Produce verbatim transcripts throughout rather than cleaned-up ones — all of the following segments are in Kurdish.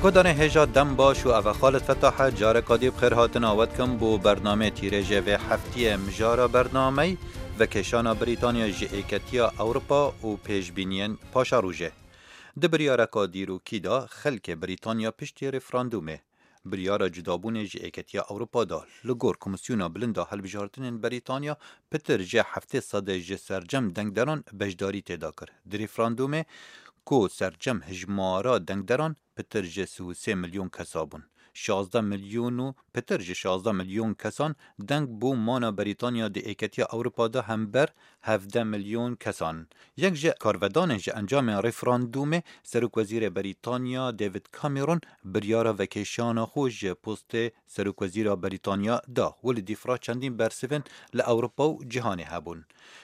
Guhdarên hêja dem baş û ev e Xalid Fetah e, careka dî bi xêr hatina we dikim bo bernameyê tîrêjê vê heftiyê. Mijara bernameyî, vekêşana Brîtanya ji Êketiya Ewropa û pêşbîniyên paşerojê. Di biryareka dîrokî de xelkê Brîtanya piştî referandûmê biryara cudabûnê ji Êketiya Ewropa da. Li gor Komîsyona Bilind a Hilbijartinên Brîtanya, pitir ji heftê sedê ji sercem dengderan beşdarî tê da kir. Di referandûmê ku sercem hijmara dengderan pitir ji sî û sê milyon kesa bûn, şazdeh milyon û pitir ji şazdeh milyon kesan deng bû mana Brîtanya di Êketiya Ewropa de hember hevdeh milyon kesan. Yek ji karvedanên ji encamên referandûmê, Serokwezîrê Brîtanya David Cameron biryara vekêşana xwe ji postê Serokwezîra Brîtanya da. Welî dîfra çendîn bersivên li Ewropa û cîhanê hebûn.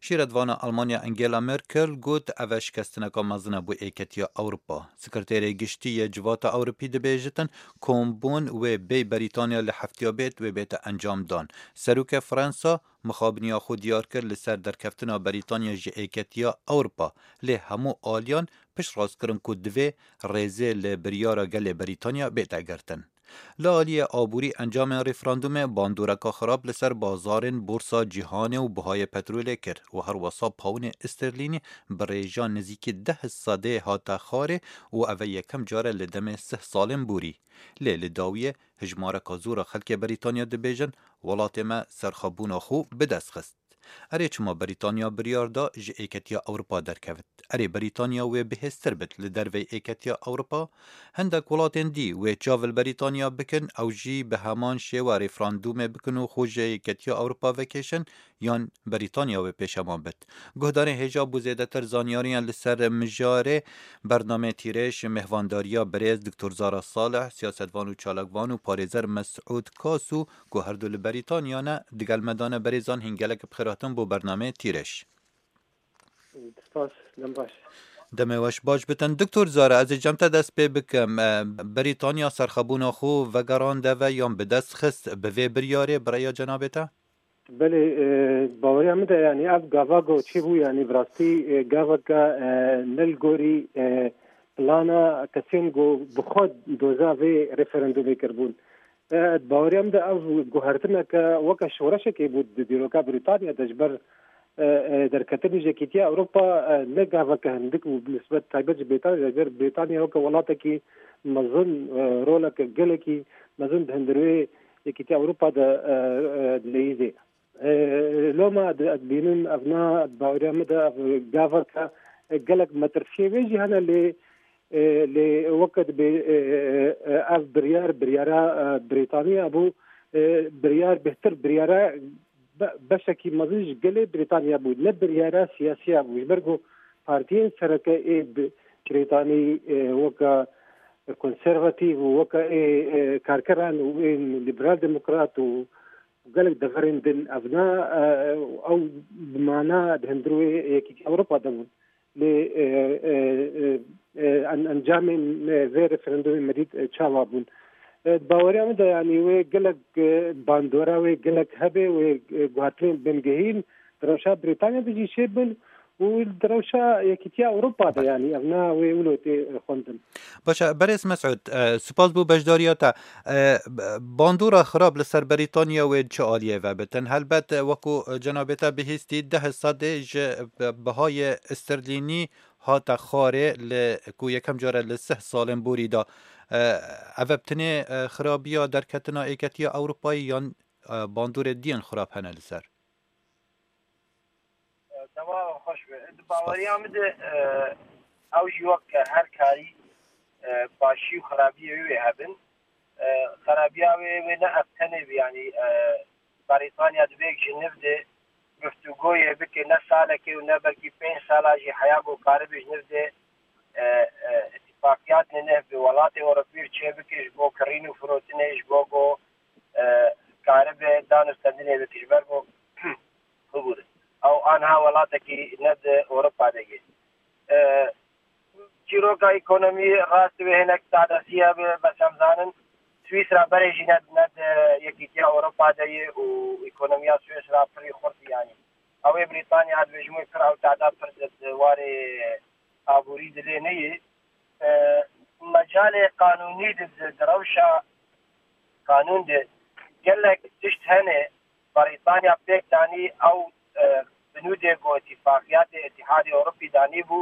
Şîretvana Almanya Angela Merkel got, ev e şikestineka mezin e bo Êketiya Ewropa. Sekreterê Giştî yê Civata Ewropî dibêjitin, kombûn wê bêy Brîtanya li heftiya bêt, wê bête encamdan. Serokê Fransa mixabiniya xwe diyar kir li ser derkeftina Brîtanya ji Êketiya Ewropa, lê hemû aliyan piştrast kirin ku divê rêzê li biryara gelê Brîtanya bête girtin. Li aliyê aborî, encamên referandûmê bandoreka xirab li ser bazarên borsa cîhanê û bihayê petrolê kir û her wesa pawnê sterlînî bi rêja nizîkî deh sedê hate xwarê û ev e yekem car e li demê sih salên borî. Lê li dawiyê hijmareka zor a xelkê Brîtanya dibêjin, welatê me serxwebûna xwe bi dest xist. Erê, çima Brîtanya biryar da ji Êketiya Ewropa derkevit? Erê, Brîtanya wê bihêztir bit li dervey Êketiya Ewropa? Hindek welatên dî wê çav li Brîtanya bikin, ew jî bi heman şêwe referandûmê bikin û xwe ji Êketiya Ewropa vekêşin, yan Brîtanya wê pêşeman bit? Guhdarên hêja bo zêdetir zanyariyan li ser mijarê bernameyê tîrêj, mêhvandariya birêz Doktor Zara Salih, siyasetvan û çalakvan û parêzer Mesûd Kasu, ku her du li Brîtanya ne, digel me dane. Berêzan, hîn gelek bi xêr hatin bo bernameyê tîrêj. Spas, dem baş. Demê weş baş bitin. Doktor Zara, ez ê cem te dest pê bikim. E, Brîtanya serxwebûna xwe vegerand eve yan bi dest xist bi vê biryarê, bi rêya cenabê te? Belê, e, baweriya min de, yanî ev gava ku çêbû, yanî bi rastî, e, gaveke, e, ne li gorî, e, plana kesên ku bi xwe doza vê referandumê kiribûn. E, di baweriya min de ev guhertineke weke şoreşekê bû di dîroka Brîtanya de, ji ber, e, e, derketinê ji Yekîtiya Ewropa, e, ne gaveke hindik bû bi nisbet taybet ji Brîtanya, ji ber Brîtanya weke welatekî mezin, e, roleke gelekî mezin di hundirê Yekîtiya Ewropa de, e, e, dileyîzê. E, loma di, ez dibînim, ev na, di baweriya min de ev gaveke, e, gelek metirsiyê wê jî hene, lê, e, lê weke dibê, e, e, e, ev biryar, biryara, e, Brîtaniya bû, e, biryar bêhtir, biryara be-, beşekî mezin ji gelê Brîtaniya bû, ne biryara siyasiya bû. Ji ber ku partiyên sereke ê bi-, Brîtanî, e, weke konservatîf û weke ê, e, karkeran û ên liberal demokrat û gelek deverên din ev na, e, ew bi mana di hundirê Yekîtiya Ewropa de bûn. Lê, e, e, e, e, en-, encamên, e, vê referandumê me dît, e, çawa bûn. E, di baweriya min de, yanî wê gelek, e, bandora wê gelek hebe, wê, e, guhertinên bingehîn di rewşa Brîtanya de jî çêbin û di rewşa Yekîtiya Ewropa de, yanî ev na wê wilo tê, e, xwendin. Baş e, berêz Mesûd, e, spas bo beşdariya te. E, b-, bandora xirab li ser Brîtanya wê çi aliyê vebitin? Helbet, e, wekû, e, cenabê te bihîstî, deh sedê ji, e, bihayê sterlînî hate xwarê li ku yekem car e li sih salên borî de. E, ev e bi tinê, e, xirabiya derketina Êketiya Ewropayê yan, e, bandorê diyên xirab hene li ser? Dema xweş be. Di baweriya min de, e, ew jî wek her karî, e, başî û xerabiyê wê hebin. E, xerabiya wê, wê ne ev tenê bî, yanî, e, Berîtanya divê ji niv de guftûgoyê bike, ne salekê û ne belkî pênc sala jî heya ku karibe ji niv de, e, e, îtîfaqiyatê neh bi welatê Ewropî çêbike ji bo kirîn û firotinê, ji bo ku, e, karibe dan û stendinê bike, ji ber ku bibûre. Ew anha welatekî ne di Ewropa de ye. E, çîroka ekonomî rast wê hinek tadesiye be, bes em zanin Swîsra berê jî ne, ne di Yekîtiya Ewropa de ye û ekonomiya Swîsra pirî xurt e, yanî. Ew ê Brîtanya dibêjim wê pir ew tada pir di, di warê aborî dilê neyê. E, Mecalê qanûnî di, di, di rewşa qanûn de gelek tişt hene. Brîtanya pêk danî ew, e, binûdê ku îtîfaqiyatê Îtîhadê Ewropî danîbû,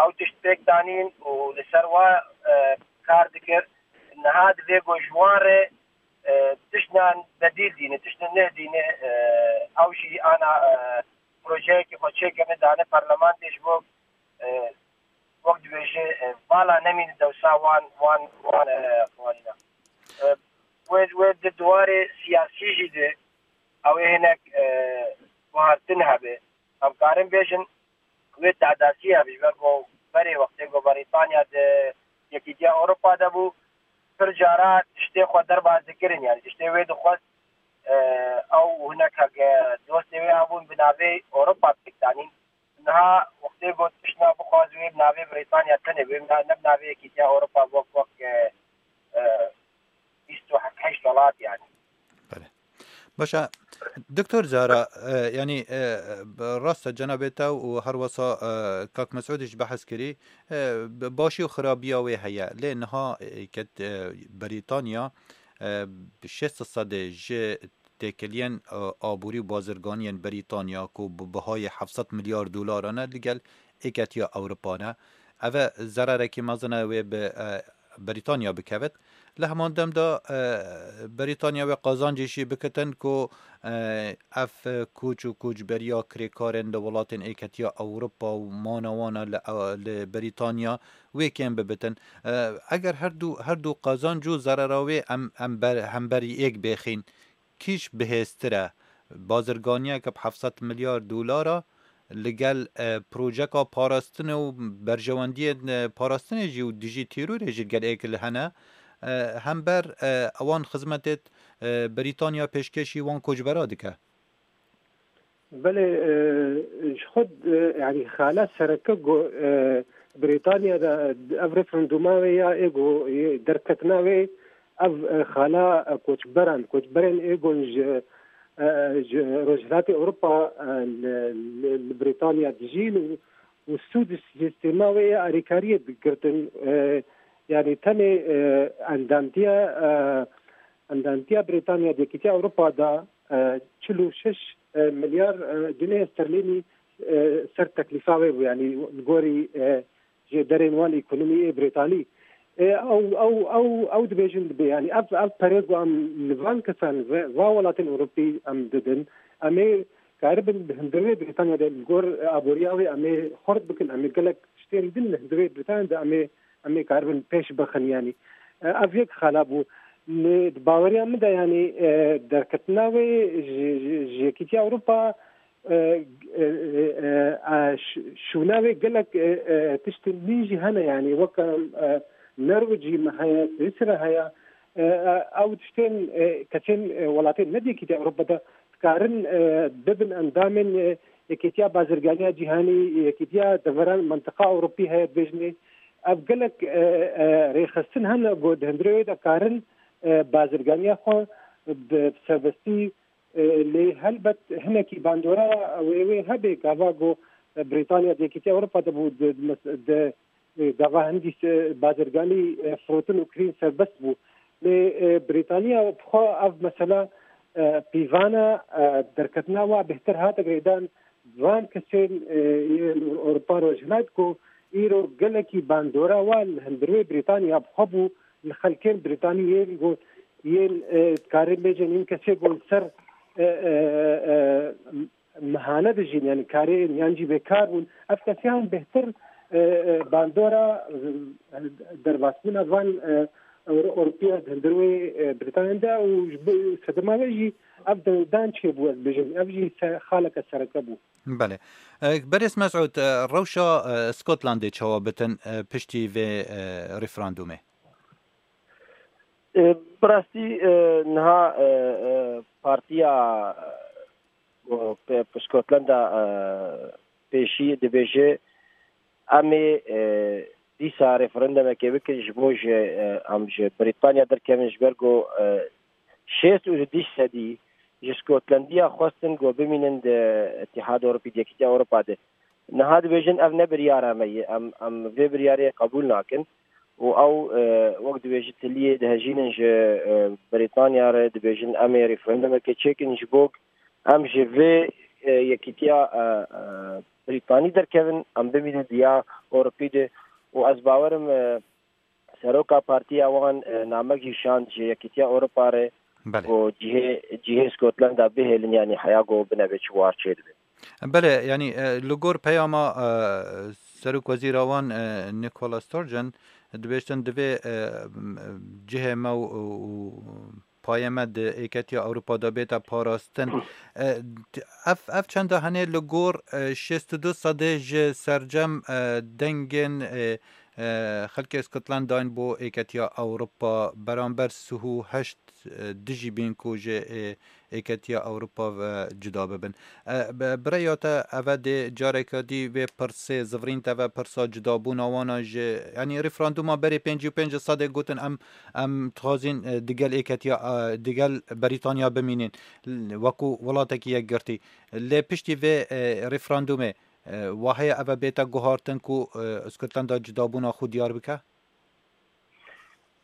ew tişt pêk danîn û li ser wa, e, kar dikir. Niha divê ku ji wan re, e, tiştnan bedîl dîne, tiştên neh dîne, e, ew jî ana, e, projeyekî xwe çêkirine dane parlamentê ji bo, e, wek dibêje, e, vala nemîne dewsa wan, wan, wan, e, xwarîna. E, wê, wê di diwarê siyasî jî de ew ê hinek, e, guhartin hebe. Em karin bêjin wê tehdasî hebe, ji ber ku berê wextê ku Brîtanya di Yekîtiya Ewropa de bû, pir cara tiştê xwe derbas dikirin, yani tiştê wê dixwest, e, ew hinek heke dostê wê hebûn bi navê Ewropa pêk danîn. Niha wextê got tiştna bixwaz wê bi navê Brîtanya tenê wê, ne bi navê Yekîtiya Ewropa wek, wek, e, e, bîst û heşt welat yani. Belê. Baş e, Doktor Zara, e, yanî, e, rast e cenabê te û her wesa, e, kak Mesûdî jî behs kirî, e, bi-, başî û xirabiya wê heye. Lê niha, e, ket, e, Brîtanya, e, bi şêst sedê ji têkiliyên, e, aborî û bazirganiyên Brîtanya ku bi bihayê heft sed milyar dolaran e, li gel Êketiya Ewropa ne. Ev e zererekî mezin e wê bi, e, Brîtanya bikevit. Li heman dem de, e, Brîtanya wê qazancê jî bikitin ku, e, ev, e, koç û koçberiya kirêkarên li welatên Êketiya Ewropa û mana wan e li, e, li Brîtanya wê kêm bibitin. E, eger her du, her du qazanc û zerera wê em, em ber, hemberî êk bêxîn, kîş bihêztir e? Bazirganiyeke bi heft sed milyar dolara li gel, e, projeka parastinê û berjewendiyên, e, parastinê jî û dijî terorê jî li gel êk li hene, e, hember, e, ewan xizmetê, e, Brîtanya pêşkêşî wan koçbera dike. Belê, e, ji xwe, e, yanî xala sereke ku, e, Brîtanya de ev referenduma wê ya ê ku yê derketina wê, ev, e, xala, e, koçberan, koçberên ê ku ji, e, ji Rojhilatê Ewropa, e, li, li, li Brîtanya dijîn û, û sûd ji sîstema wê ya alîkariyê digirtin. E, yanî tenê, e, endamtiya, e, endamtiya Brîtanya di Yekîtiya Ewropa de, e, çil û şeş, e, milyar, e, gunehê sterlînî, e, ser teklîfa wê bû, yanî li gorî, e, jêderên wan ekonomî ê Brîtanî. E, ew, ew, ew, ew dibêjin dibê, yanî ev, ev perê ku em li van kesan, ve, va welatên Ewropî em didin, em ê karibin di hundirê Brîtanya de li gor aboriya wê em ê xurt bikin, em ê gelek tiştên din li hundirê Brîtanya de em ê, em ê karibin pêş bixin, yanî. E, ev yek xala bû. Lê di baweriya min de, yanî, e, derketina wê ji, ji, ji Yekîtiya Ewropa, e, e, e, e, ş-, şûna wê gelek, e, e, tiştên nî jî hene, yanî weke, e, Norwecî me heye, Swîsra heye, e, e, ew tiştên, e, kesên, e, welatên ne di Yekîtiya Ewropa de dikarin, e, bibin endamên, e, Yekîtiya Bazirganiya Cîhanî, Yekîtiya Deveran Mentiqa Ewropî heye dibêjinê. Ev gelek, e, e, rêxistin hene ku di hundirê wê de karin, e, bazirganiya xwe bi serbestî, e, lê helbet hinekî bandora wê, wê hebe gava ku Brîtanya di Yekîtiya Ewropa de bû, di, di, di, e, gava hindî se-, bazirganî, e, firotin û kirîn serbest bû. Lê, e, Brîtanya bi xwe ev mesela, e, pîvana, e, derketina wa bêhtir hate girêdan van kesên, e, yên Ewropa Rojhilat ku îro gelekî bandora wan li hundirê Brîtanya bi xwe bû, li xelkên Brîtanî yên ku yên, e, dikarin bêjin, yên kesê ku li ser, e, e, e, mehane dijîn, yanî karê yan jî bêkar bûn. Ev kesiyan bêhtir, e, e, bandora, e, derbasbûna van, e, Ewro-, Ewropiya di hundir wê, e, Brîtanya de û ji bo sedema wê jî ev dewrdan çêbû, ez bêjim. Ev jî se-, xaleke sereke bû. Belê. E, Berêz Mesûd, e, rewşa, e, Skotlandê çawa bitin, e, piştî vê, e, referandumê? E, bi rastî, e, niha, e, e, partiya, e, Skotlanda, e, pêşî dibêje, em ê, e, dîsa referendumekê bikin ji bo ji, e, em ji Brîtanya derkevin, ji ber ku, e, şêst û du sedî ji Skotlandiya xwestin ku bimînin di Îtîhada Ewropî, di Yekîtiya Ewropa de. Niha dibêjin ev ne biryara me ye, em, em vê biryarê qebûl nakin. û ew, e, wek dibêjin tiliyê dihejînin ji, e, Brîtanya re, dibêjin em ê referandumekê çêkin ji bo em ji vê, e, yekîtiya, e, e, Brîtanî derkevin, em bimînin diya Ewropî de û ez bawerim, e, seroka partiya wan, e, namek jî şand ji Yekîtiya Ewropa re Belê. Ku cihê, cihê Scotland-a bihêlin, yanî heya ku binebe çi war çêdibe. Belê, yanî, e, li gor peyama, e, Serokwezîra wan, e, Nicola Sturgeon, dibêjtin divê, e, m-, cihê me û, û, û payê me di Êketiya Ewropa de bête parastin. E, ev, ev çenda hene li gor, e, şêst û du sedê ji sercem, e, dengên, e, e, xelkê Scotland dayn bo Êketiya Ewropa, beramber sih û heşt, e, dijî bîn ku ji, e, Êketiya Ewropa ve cuda bibin. E, bi, bi rêya te eve dê careke dî vê pirsê zivirîn te ve pirsa cudabûna wana ji, yanî referanduma berê pêncî û pênc sedê gotin em, em dixwazin, e, digel Êketiya, e, digel Brîtanya bimînin, l-, wekû welatekî yekgirtî. Lê piştî vê, e, referandumê, e, wa heye eve bête guhartin ku, e, Scotland-a cudabûna xwe diyar bike?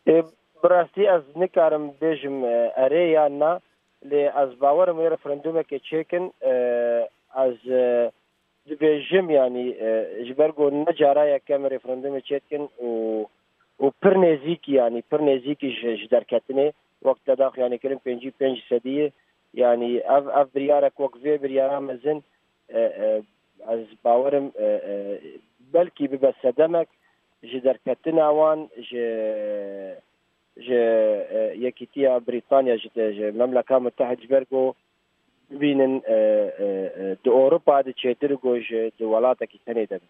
Ê, bi rastî ez nikarim bêjim, e, erê yan na, lê ez bawerim wê referandumekê çêkin, e, ez, e, dibêjim, yanî, e, ji ber ku ne cara yekem referandumê çêdikin û, û pir nêzîkî, yanî pir nêzîkî ji, ji derketinê, wek te daxuyanîkirin pêncî û pênc sedî ye, yanî ev, ev biryarek wek vê biryara mezin, e, e, ez bawerim, e, e, belkî bibe sedemek ji derketina wan ji, ji, e, Yekîtiya Brîtanya, ji, ji Memleka Mutehid, ji ber ku bibînin, e, e, e, di Ewropa de çêtir ku ji di welatekî tenê de be.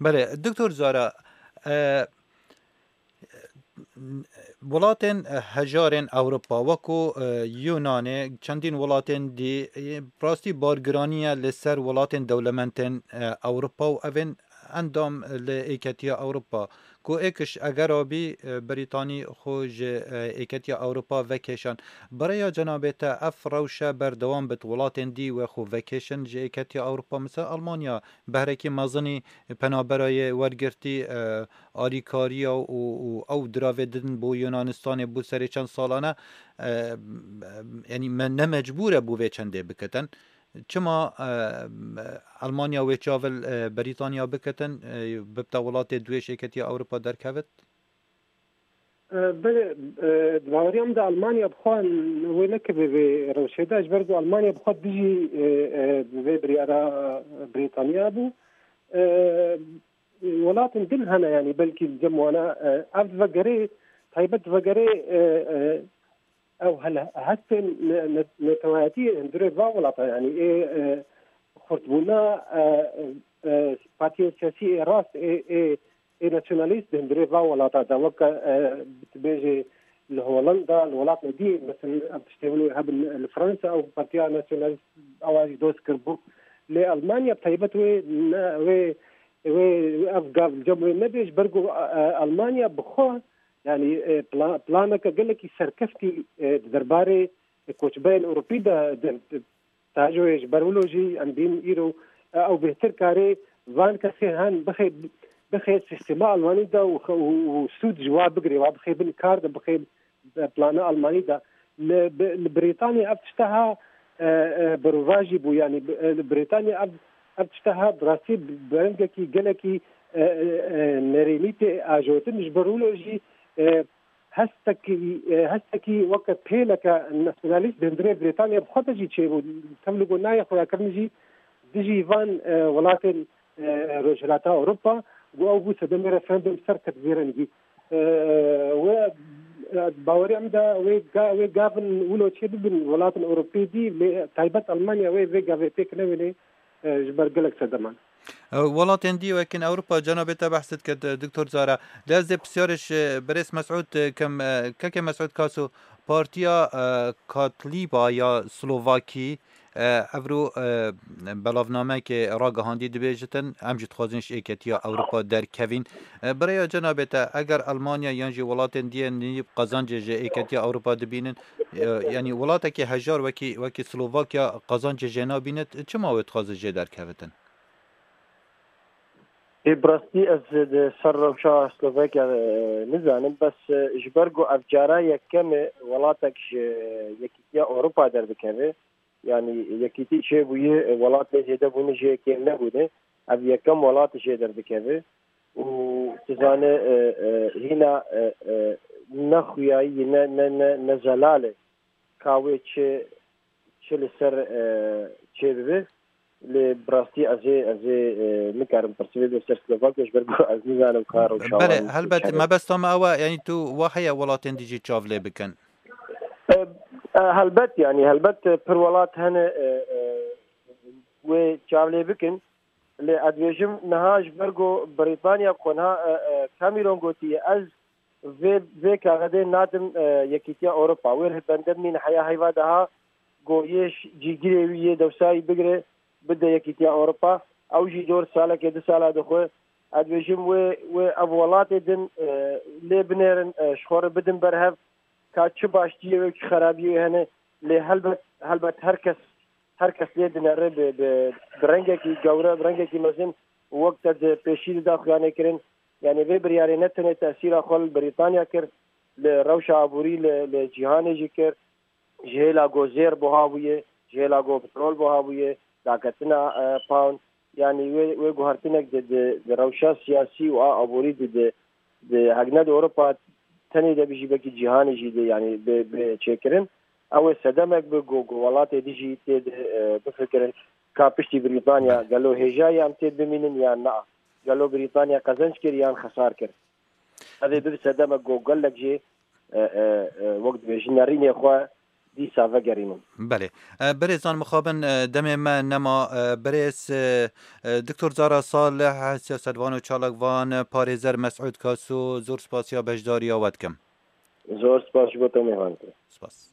Belê, Doktor Zara, e, welatên, e, hejarên Ewropa, wekû, e, Yunanê, çendîn welatên dî, e, rastî bargiraniye li ser welatên dewlemendên, e, Ewropa û evên endam li Êketiya Ewropa, ku êkiş egera bî, e, Brîtanî xwe ji, e, Êketiya Ewropa vekêşan. Bi rêya cenabê te ev rewşe berdewam bit, welatên dî wê xwe vekêşin ji Êketiya Ewropa, misal Almanya behrekî mezinî penaberayê wergirtî, e, alîkariya û, û ew diravê didin bo Yunanistanê bo serê çend salane, e, yanî me ne mecbûr e bo vê çendê bikitin. Çima, e, Almanya wê çav li, e, Brîtanya bikitin, e, bibte welatê duê ji Êketiya Ewropa derkevit? E, belê, e, di baweriya min de Almanya bi xwe wê nekeve vê rewşê de, ji ber ku Almanya bi xwe dijî, e, e, vê biryara Brîtanya bû. E, welatên din hene, yanî belkî li cem wana, e, ev vegerê, taybet vegerê, e, e, ew hel-, hestên ne-, ne-, netewayetî hundirê va welata, yanî ê, e, xurtbûna, e, e, partiyên siyasî ê rast, ê, ê, ê nasyonalîst di hundirê va welata de, weke, e, dibêje li Holanda, li welatê dî, mesela, ev tiştê wilo hebin li Fransa, ew partiya nasyonalîst ewa jî doz kiribû. Lê Almanya bi taybet wê ne, wê, wê, wê ev gav li cem wê nebe, ji ber ku, e, Almanya bi xwe, yanî, e, pla-, planeke gelekî serkeftî, e, di derbarê koçberên Ewropî de, de, de, tajoyê ji ber wilo jî em bînin îro, e, ew bêhtir karê van kesê hen bixê, bixê sîstema Almanî de û, û, û sûd ji wa bigirê, wa bixê bin kar de, bixê plana Almanî de. Li, bi-, li Brîtanya ev tişteha, e, e, berovajî bû, yanî bi-, e, li Brîtanya ev, ev tişteha bi rastî bi rengekî gelekî, e, e, e, nerênî tê ajotin, ji ber wilo jî, e, hestekî, e, hestekî weke pêleke nasyonalîst di hundirê Brîtanya bi xwe de jî çêbû. Tevlî ku nayê xuyakirin jî dijî van, e, welatên, e, Rojhilata Ewropa, ku ew bû sedemê referandum ser ket vê rengî. E, wê, e, baweriya min de wê ga-, wê gavin wilo çê bibin welatên Ewropî dî, lê taybet Almanya wê vê gavê pêk newênê, e, ji ber gelek sedeman. E, welatên dî wekî Ewropa, cenabê te behs dikir, e, Doktor Zara. Lê ez dê pisyarê ji Birêz Mesûd, e, kim, e, kekê Mesûd Kaso, Partiya, e, Katlîba ya Slovakî, e, evro, e, belavnamekê ragihandî, dibêjitin, em jî dixwazin ji Êketiya Ewropa derkevîn. E, bi rêya cenabê te, eger Almanya yan jî welatên dî yên nîv qezancê ji Êketiya Ewropa dibînin, e, yanî welatekî hejar wekî, wekî Slovakya qezancê jê nabînit, çima wê dixwaze jê derkevitin? Ê, bi rastî ez di ser rewşa Slovakia, e, nizanim, bes, e, ji ber ku ev cara yekem e welatek ji Yekîtiya Ewropa derdikeve, yanî yekîtî çêbûye, e, welatê zêde bûne jê kêm nebûne, ev yekem welat jê derdikeve û tu zane, e, e, hîna, e, e, ne xuyayî, ne, ne, ne, ne zelal e ka wê çi, çi li ser, e, çêbibe. Lê bi rastî ez ê, ez ê, e, nikarim pirsê bibim ser Slovakia, ji ber ku ez nizanim ka rewşa Belê, wan helbet, çi hebe. Mebesta me ew e, yanî tu wa heye welatên dî jî çav lê bikin? E, e, helbet, yanî helbet, e, pir welat hene, e, e, wê çav lê bikin. Lê ez dibêjim niha ji ber ku Brîtanya ku niha, e, e, Cameron gotiye, ez vê, vê kaxedê nadim, e, Yekîtiya Ewropa. Wê li bende bimîne heya heyva daha ku yê ş-, cîgirê wî yê dewsayî bigire, bide Yekîtiya Ewropa. Ew jî dor salekê du sala dixwe. Ez dibêjim wê, wê ev welatê din, e, lê binêrin, e, ji xwe re bidin ber hev. Ka çi baştiyê wê, çi xerabiyê wê hene. Lê helbet, helbet her kes, her kes lê dinere bi, bi, bi rengekî gewre, bi rengekî mezin û wek te di pêşî de da xuyanê kirin. Yanî vê biryarê ne tenê tesîra xwe li Brîtanya kir, li rewşa aborî li, li cîhanê jî kir. Ji hêla ku zêr buha bûye, ji hêla ku petrol buha bûye, daketina, e, pound, yanî wê, wê guhertinek di, di, di rewşa siyasî û a aborî di, di, di hegnet Ewropa tenê de bijî, belkî cîhanê jî de, yanî bi, bi çêkirin. Ew ê sedemek bi ku, ku welatê dijî tê de, e, bifikirin ka piştî Brîtanya gelo hêja ye em tê de bimînin yan na. Gelo Brîtanya qezenc kir yan xesar kir. Ev ê bibe sedemek ku gelek jê, e, e, e, wek dibêjin nerînê xwe dîsa vegerînin. Belê. E, birêzan mixabin, e, demê me nema, e, birêz, e, e, Doktor Zara Salih, siyasetvan û çalakvan, e, parêzer Mesûd Kaso, zor spasiya beşdariya we dikim. Zor spas ji bo te mêvan te. Spas.